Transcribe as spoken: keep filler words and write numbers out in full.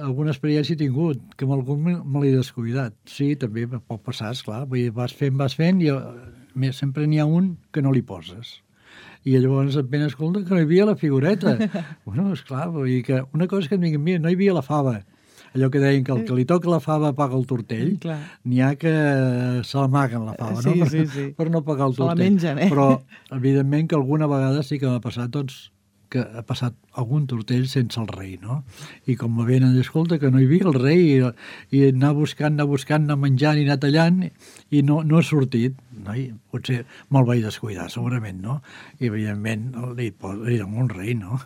alguna experiència he tingut, que amb algun me, me l'he descuidat. Sí, també pot passar, esclar. Vull dir, vas fent, vas fent, i eh, sempre n'hi ha un que no li poses. I llavors et ven, escolta, que no hi havia la figureta. Bueno, esclar, vull dir que una cosa que em diguin, mira, no hi havia la fava. Allò que deien que el que li toca la fava paga el tortell, n'hi ha que se l'amaguen la fava, sí, no? Sí, per, sí. per no pagar el tortell. Se la mengen, eh? Però, evidentment, que alguna vegada sí que m'ha passat, doncs, que ha passat algun tortell sense el rei, no? I com me venen, escolta, que no hi havia el rei, i, i anar buscant, anar buscant, anar menjant i anar tallant, i no, no ha sortit. No? I potser me'l vaig descuidar, segurament, no? I, evidentment, li, li dono un rei, no?